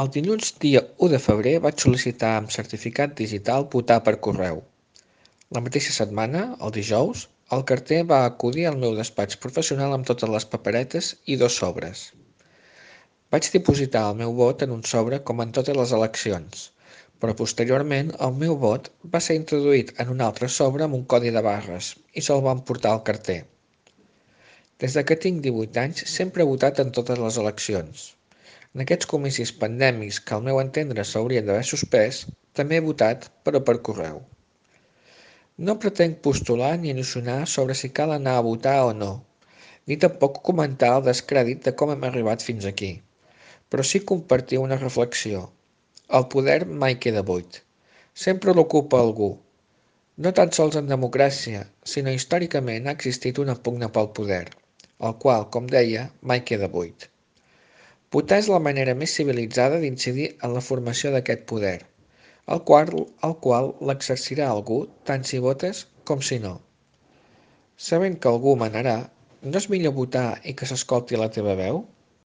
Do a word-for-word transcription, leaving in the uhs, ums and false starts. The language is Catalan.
El dilluns dia u de febrer vaig sol·licitar amb certificat digital votar per correu. La mateixa setmana, el dijous, el carter va acudir al meu despatx professional amb totes les paperetes i dos sobres. Vaig dipositar el meu vot en un sobre com en totes les eleccions, però posteriorment el meu vot va ser introduït en un altre sobre amb un codi de barres i se'l van portar al carter. Des de que tinc divuit anys sempre he votat en totes les eleccions. En aquests comicis pandèmics que al meu entendre s'haurien d'haver suspès, també he votat, però per correu. No pretenc postular ni alliçonar sobre si cal anar a votar o no, ni tampoc comentar el descrèdit de com hem arribat fins aquí, però sí compartir una reflexió. El poder mai queda buit. Sempre l'ocupa algú. No tan sols en democràcia, sinó històricament ha existit una pugna pel poder, el qual, com deia, mai queda buit. Votar és la manera més civilitzada d'incidir en la formació d'aquest poder, el qual, el qual l'exercirà algú tant si votes com si no. Sabent que algú manarà, no és millor votar i que s'escolti la teva veu?